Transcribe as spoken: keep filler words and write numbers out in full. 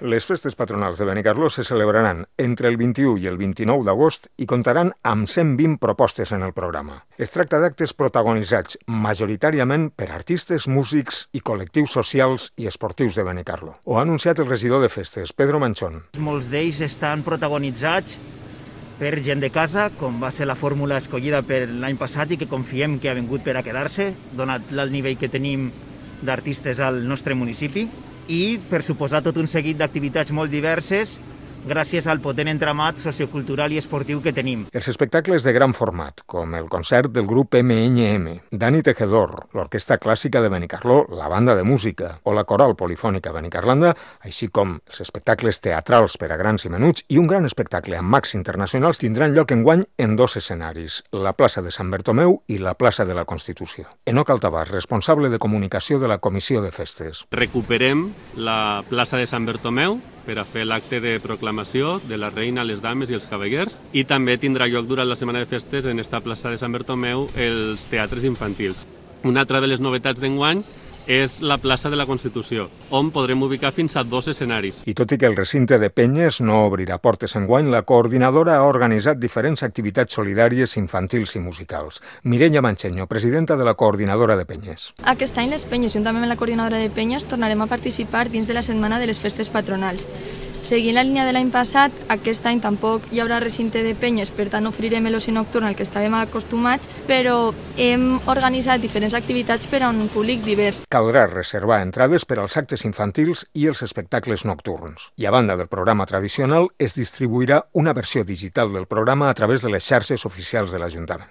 Les festes patronals de Benicarló se celebraran entre el vint-i-u i el vint-i-nou d'agost i comptaran amb cent vint propostes en el programa. Es tracta d'actes protagonitzats majoritàriament per artistes, músics i col·lectius socials i esportius de Benicarló. Ho ha anunciat el regidor de festes, Pedro Manchón. Molts d'ells estan protagonitzats per gent de casa, com va ser la fórmula escollida per l'any passat i que confiem que ha vingut per a quedar-se, donat el nivell que tenim d'artistes al nostre municipi. I, per suposar, tot un seguit d'activitats molt diverses gràcies al potent entramat sociocultural i esportiu que tenim. Els espectacles de gran format, com el concert del grup eme ene eme, Dani Tejedor, l'Orquestra Clàssica de Benicarló, la Banda de Música o la Coral Polifònica Benicarlanda, així com els espectacles teatrals per a grans i menuts i un gran espectacle amb mags internacionals tindran lloc enguany en dos escenaris, la plaça de Sant Bertomeu i la plaça de la Constitució. Enoc Altabàs, responsable de comunicació de la Comissió de Festes. Recuperem la plaça de Sant Bertomeu per a fer l'acte de proclamació de la reina, les dames i els cavallers, i també tindrà lloc durant la setmana de festes en esta plaça de Sant Bertomeu els teatres infantils. Una altra de les novetats d'enguany és la plaça de la Constitució, on podrem ubicar fins a dos escenaris. I tot i que el recinte de Penyes no obrirà portes enguany, la coordinadora ha organitzat diferents activitats solidàries infantils i musicals. Mireia Mancheño, presidenta de la coordinadora de Penyes. Aquest any les Penyes, juntament amb la coordinadora de Penyes, tornarem a participar dins de la setmana de les festes patronals. Seguint la línia de l'any passat, aquest any tampoc hi haurà recinte de penyes, per tant ofrirem l'oci nocturn al que estàvem acostumats, però hem organitzat diferents activitats per a un públic divers. Caldrà reservar entrades per als actes infantils i els espectacles nocturns. I a banda del programa tradicional, es distribuirà una versió digital del programa a través de les xarxes oficials de l'Ajuntament.